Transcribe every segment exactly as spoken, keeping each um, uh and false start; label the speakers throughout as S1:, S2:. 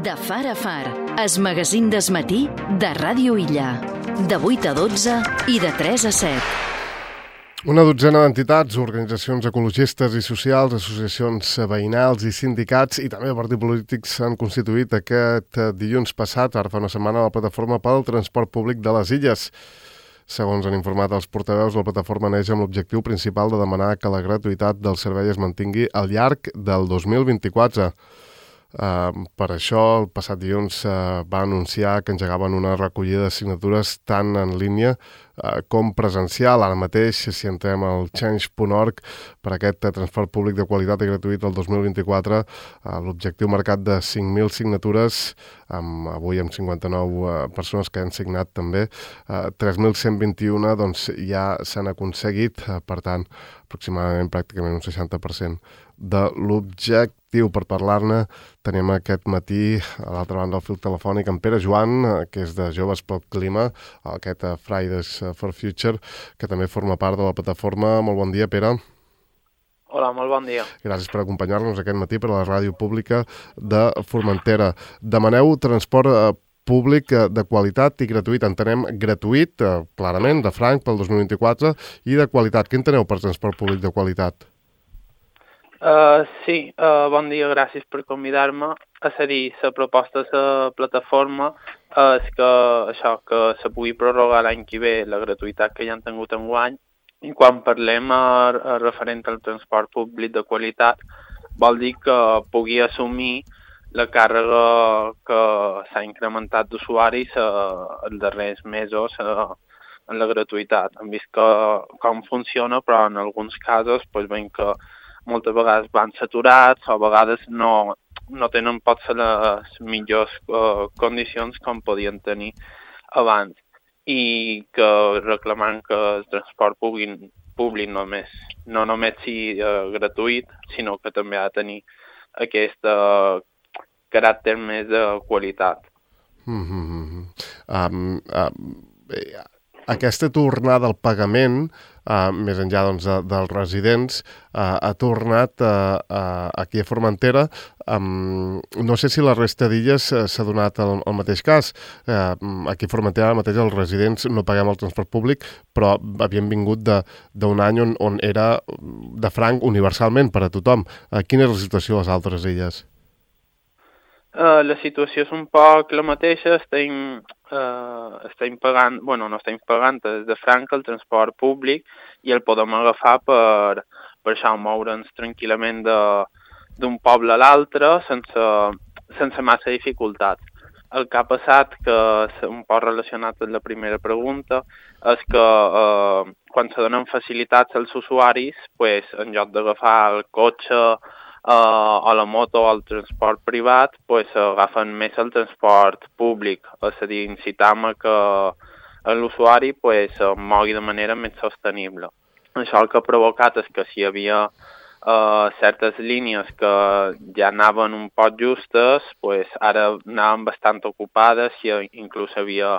S1: De far a far, es magazín d'esmatí de Ràdio Illa. De vuit a dotze i de tres a set.
S2: Una dotzena d'entitats, organitzacions ecologistes i socials, associacions veïnals i sindicats i també partits polítics s'han constituït aquest dilluns passat, ara fa una setmana, a la plataforma pel transport públic de les Illes. Segons han informat els portaveus, la plataforma neix amb l'objectiu principal de demanar que la gratuïtat del servei es mantingui al llarg del dos mil vint-i-quatre. Uh, per això, el passat dilluns uh, va anunciar que engegaven una recollida de signatures tant en línia uh, com presencial. Ara mateix, si entrem al change punt org per aquest uh, transport públic de qualitat i gratuït el dos mil vint-i-quatre, uh, l'objectiu marcat de cinc mil signatures, amb, avui amb cinquanta-nou uh, persones que han signat també, uh, tres mil cent vint-i-un doncs, ja s'han aconseguit, uh, per tant, aproximadament pràcticament un seixanta per cent de l'objectiu. Per parlar-ne tenim aquest matí a l'altra banda del fil telefònic en Pere Joan, que és de Joves pel Clima, aquest Fridays for Future, que també forma part de la plataforma. Molt bon dia, Pere.
S3: Hola, molt bon dia.
S2: Gràcies per acompanyar-nos aquest matí per a la ràdio pública de Formentera. Demaneu transport públic de qualitat i gratuït. Entenem gratuït, clarament, de franc pel dos mil vint-i-quatre, i de qualitat. Què enteneu per transport públic de qualitat?
S3: Uh, sí, uh, bon dia, gràcies per convidar-me. És a dir, la proposta de la plataforma és que això que se pugui prorrogar l'any que ve la gratuïtat que ja han tingut enguany. I quan parlem a, a referent al transport públic de qualitat, vol dir que pugui assumir la càrrega que s'ha incrementat d'usuaris uh, els darrers mesos uh, en la gratuïtat. Hem vist que, com funciona, però en alguns casos pues, veiem que moltes vegades van saturats o a vegades no, no tenen potser les millors uh, condicions com podien tenir abans, i que reclamant que el transport públic, públic només, no només sigui uh, gratuït, sinó que també ha de tenir aquest uh, caràcter més de qualitat.
S2: Mm-hmm. um, um, aquesta tornada al pagament, Uh, més enllà doncs, de, dels residents, uh, ha tornat uh, uh, aquí a Formentera. Um, no sé si la resta d'illes uh, s'ha donat el, el mateix cas. Uh, aquí a Formentera mateix els residents no paguem el transport públic, però havíem vingut d'un any on, on era de franc universalment per a tothom. Uh, quina és la situació a les altres illes?
S3: Uh, la situació és un poc la mateixa. Estem, uh, estem pagant, bueno, no estem pagant des de franc el transport públic i el podem agafar per, per això moure'ns tranquil·lament d'un poble a l'altre sense, sense massa dificultat. El que ha passat, que és un poc relacionat amb la primera pregunta, és que uh, quan se donen facilitats als usuaris, pues, en lloc d'agafar el cotxe, Uh, o la moto o el transport privat, pues, agafen més el transport públic. És a dir, incitam a que l'usuari pues, mogui de manera més sostenible. Això el que ha provocat és que si hi havia uh, certes línies que ja anaven un poc justes, pues, ara anaven bastant ocupades i inclús hi havia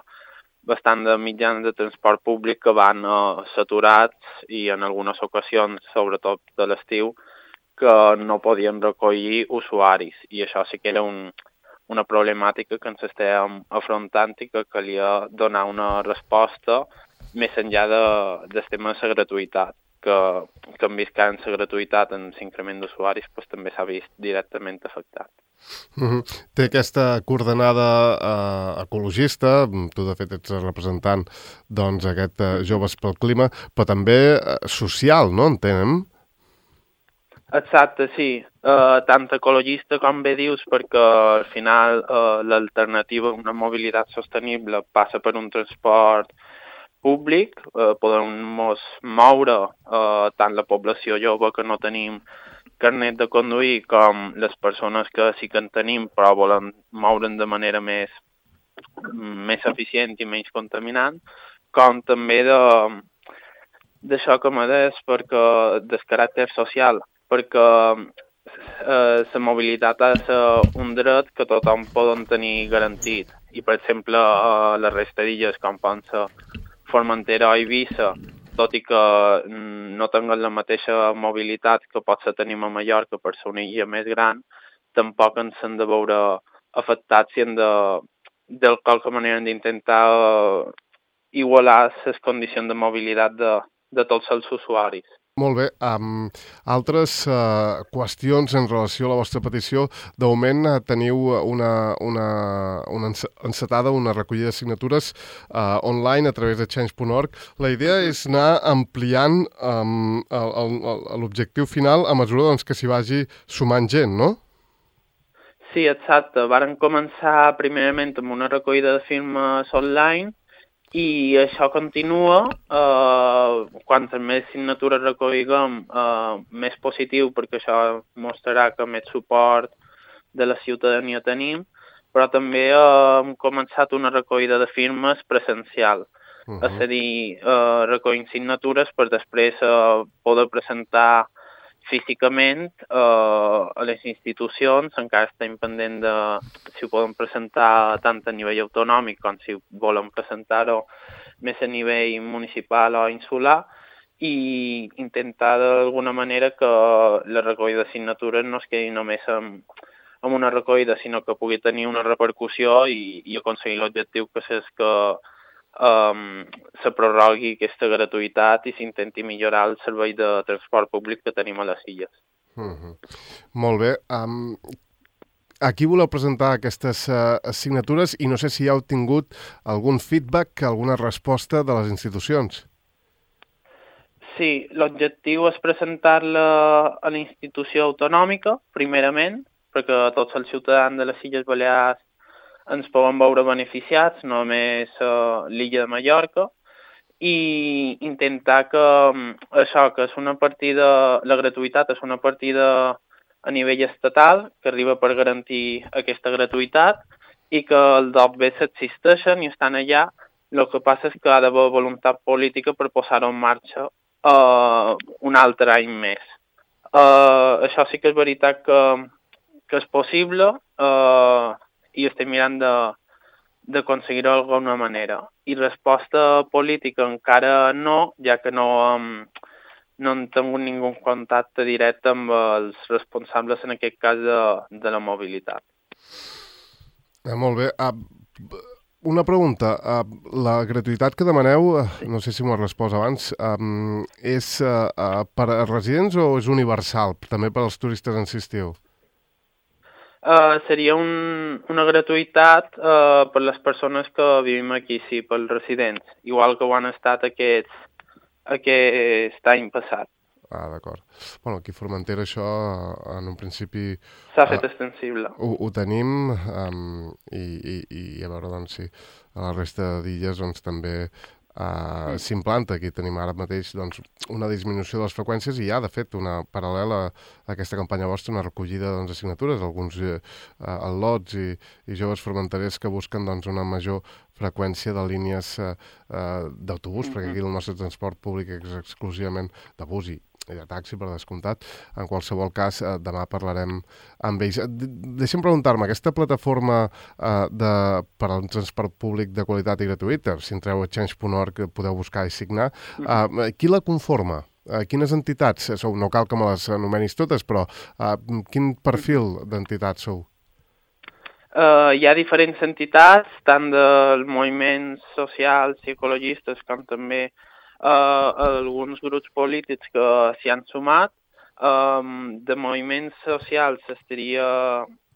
S3: bastant de mitjans de transport públic que van uh, saturats i en algunes ocasions, sobretot de l'estiu, que no podien recollir usuaris, i això sí que era un, una problemàtica que ens estàvem afrontant i que calia donar una resposta més enllà de, del tema de la gratuïtat, que, que hem vist que en la gratuïtat, en l'increment d'usuaris, pues, també s'ha vist directament afectat.
S2: Uh-huh. Té aquesta coordenada uh, ecologista, tu de fet ets representant doncs, aquest uh, Joves pel Clima, però també uh, social, no? Entenem?
S3: Exacte, sí. Uh, tant ecologista com bé dius, perquè al final uh, l'alternativa a una mobilitat sostenible passa per un transport públic. Uh, podem mos moure uh, tant la població jove que no tenim carnet de conduir com les persones que sí que en tenim però volen moure'n de manera més, més eficient i menys contaminant, com també de d'això que m'ha des perquè del caràcter social, perquè eh, la mobilitat ha de ser un dret que tothom poden tenir garantit. I, per exemple, a la resta d'illes, com poden ser Formentera o Eivissa, tot i que no tinguin la mateixa mobilitat que potser tenim a Mallorca per ser una illa més gran, tampoc ens hem de veure afectats i hem de, de qualque manera hem d'intentar uh, igualar les condicions de mobilitat de, de tots els usuaris.
S2: Molt bé. Um, altres uh, qüestions en relació a la vostra petició. De moment uh, teniu una, una, una encetada, una recollida de signatures uh, online a través de change punt org. La idea és anar ampliant um, l'objectiu final a mesura doncs, que s'hi vagi sumant gent, no?
S3: Sí, exacte. Varen començar primerament amb una recollida de firmes online i això continua. Eh, quantes més signatures recolliguem, eh, més positiu, perquè això mostrarà que més suport de la ciutadania tenim, però també eh, hem començat una recollida de firmes presencial. Uh-huh. És a dir, eh, recollint signatures per després eh, poder presentar físicament eh, a les institucions. Encara estem pendent de si ho podem presentar tant a nivell autonòmic com si volem presentar-ho més a nivell municipal o insular, i intentar d'alguna manera que la recollida de signatures no es quedi només en, en una recollida, sinó que pugui tenir una repercussió i, i aconseguir l'objectiu que és que Um, se prorrogui aquesta gratuïtat i s'intenti millorar el servei de transport públic que tenim a les illes.
S2: Mm-hmm. Molt bé. Um, aquí voleu presentar aquestes uh, signatures i no sé si ja heu tingut algun feedback, alguna resposta de les institucions.
S3: Sí, l'objectiu és presentar-la a la institució autonòmica, primerament, perquè tots els ciutadans de les Illes Balears ens poden veure beneficiats, no només uh, l'illa de Mallorca, i intentar que um, això, que és una partida, la gratuïtat és una partida a nivell estatal, que arriba per garantir aquesta gratuïtat, i que els D O B S existeixen i estan allà. El que passa és que ha d'haver voluntat política per posar-ho en marxa uh, un altre any més. Uh, això sí que és veritat que, que és possible, uh, i estem mirant d'aconseguir-ho d'alguna manera. I resposta política encara no, ja que no, um, no hem tingut ningú contacte directe amb els responsables, en aquest cas, de, de la mobilitat.
S2: Eh, molt bé. Uh, una pregunta. Uh, la gratuïtat que demaneu, uh, no sé si m'ho has respost abans, um, és uh, uh, per a residents o és universal, també per als turistes en si estiu?
S3: Uh, seria un, una gratuïtat uh, per les persones que vivim aquí, sí, pels residents, igual que ho han estat aquests, aquest any passat.
S2: Ah, d'acord. Bueno, aquí a Formentera això, en un principi...
S3: S'ha fet uh, extensible.
S2: Ho, ho tenim, um, i, i, i a veure, doncs, sí, a la resta d'illes, doncs, també... Uh, s'implanta. Aquí tenim ara mateix doncs, una disminució de les freqüències i hi ha, de fet, una paral·lela a aquesta campanya vostra, una recollida doncs, de signatures, alguns uh, al·lots i, i joves formenterers que busquen doncs, una major freqüència de línies uh, uh, d'autobús, mm-hmm. perquè aquí el nostre transport públic és exclusivament de bus i i de taxi, per descomptat. En qualsevol cas, eh, demà parlarem amb ells. De Deixa'm preguntar-me, aquesta plataforma eh, de, per al transport públic de qualitat i gratuïta, si entreu a change punt org podeu buscar i signar, eh, qui la conforma? Eh, quines entitats sou? No cal que me les anomenis totes, però eh, quin perfil d'entitats sou?
S3: Uh, hi ha diferents entitats, tant dels moviments socials i ecologistes com també Uh, alguns grups polítics que s'hi han sumat. Um, de moviments socials estaria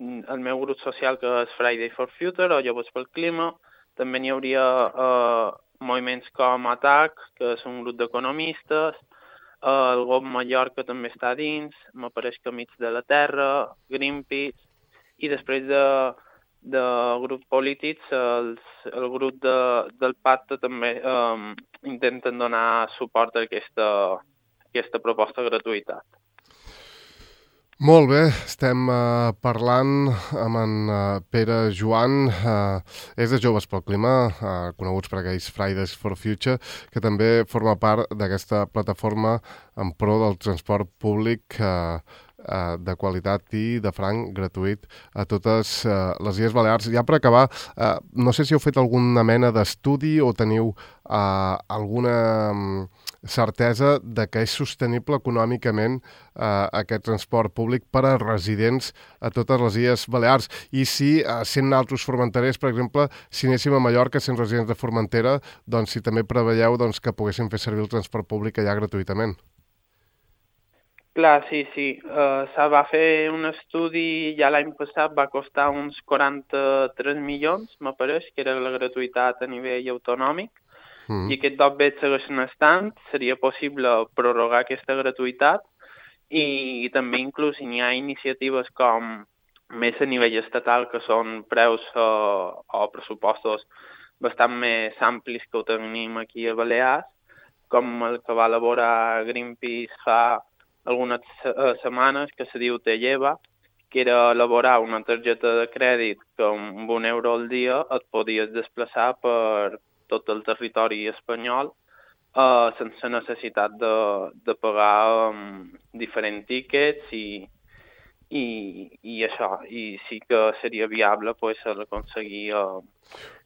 S3: el meu grup social, que és Friday for Future o Joves pel Clima. També n'hi hauria uh, moviments com A T A C, que és un grup d'economistes. Uh, el G O P Mallorca també està dins, m'apareix que Amics de la Terra, Greenpeace, i després de de grups polítics, els, el grup de, del pacte també um, intenten donar suport a aquesta, aquesta proposta de gratuïtat.
S2: Molt bé, estem uh, parlant amb en uh, Pere Joan, uh, és de Joves pel Clima, uh, coneguts per aquells Fridays for Future, que també forma part d'aquesta plataforma en pro del transport públic uh, uh, de qualitat i de franc gratuït a totes uh, les Illes Balears. Ja per acabar, uh, no sé si heu fet alguna mena d'estudi o teniu uh, alguna um, certesa de que és sostenible econòmicament uh, aquest transport públic per a residents a totes les Illes Balears. I si, uh, sent altres formenterers, per exemple, si anéssim a Mallorca, sent residents de Formentera, doncs si també preveieu doncs, que poguessin fer servir el transport públic allà gratuïtament.
S3: Clar, sí, sí. Uh, se va fer un estudi ja l'any passat, va costar uns quaranta-tres milions, m'apareix, que era la gratuïtat a nivell autonòmic. Mm. I aquest dos bé segueixen estant, seria possible prorrogar aquesta gratuïtat i, i també inclús hi ha iniciatives com més a nivell estatal que són preus o, o pressupostos bastant més amplis que ho tenim aquí a Balears, com el que va elaborar Greenpeace fa algunes uh, setmanes, que se diu Te Lleva, que era elaborar una targeta de crèdit que amb un euro al dia et podies desplaçar per tot el territori espanyol uh, sense necessitat de, de pagar um, diferents tíquets i, i, i això. I sí que seria viable pues, aconseguir uh,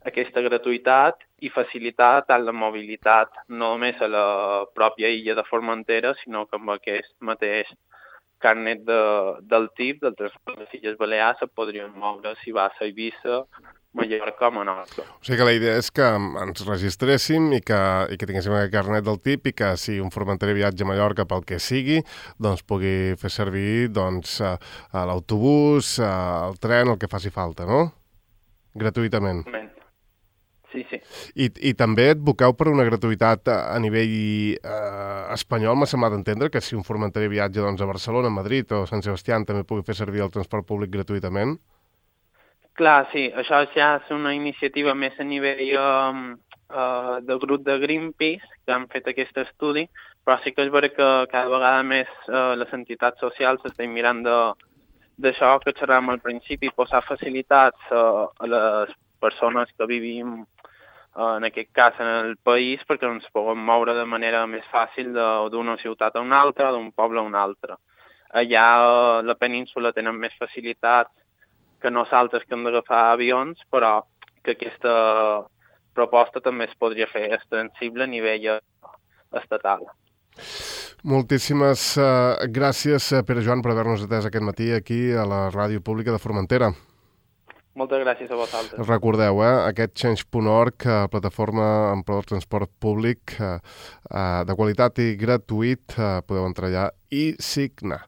S3: aquesta gratuïtat i facilitar tant la mobilitat no només a la pròpia illa de Formentera, sinó que amb aquest mateix carnet de, del T I P, del transport de les Illes Balears, es podrien moure si vas a Eivissa, Mallorca o Menorca.
S2: O sigui que la idea és que ens registréssim i que, i que tinguéssim aquest carnet del T I P i que si un formenterer viatja a Mallorca pel que sigui, doncs pugui fer servir doncs, l'autobús, el tren, el que faci falta, no? Gratuïtament.
S3: Sí, sí.
S2: I, i també advoqueu per una gratuïtat a, a nivell eh, espanyol. M'ha semblat entendre que si un formenterer viatja doncs, a Barcelona, Madrid o Sant Sebastià també pugui fer servir el transport públic gratuïtament?
S3: Clar, sí, això ja és una iniciativa més a nivell um, uh, del grup de Greenpeace que han fet aquest estudi, però sí que és vera que cada vegada més uh, les entitats socials estan mirant d'això que xerràvem al principi, posar facilitats uh, a les persones que vivim uh, en aquest cas en el país perquè ens puguem moure de manera més fàcil d'una ciutat a una altra, d'un poble a un altre. Allà uh, la península tenen més facilitats que nosaltres que hem d'agafar avions, però que aquesta proposta també es podria fer extensible a nivell estatal.
S2: Moltíssimes uh, gràcies, Pere Joan, per haver-nos atès aquest matí aquí a la Ràdio Pública de Formentera.
S3: Moltes gràcies a vosaltres.
S2: Recordeu, eh, aquest change punt org, eh, plataforma en pro del transport públic eh, eh, de qualitat i gratuït, eh, podeu entrar allà i signar.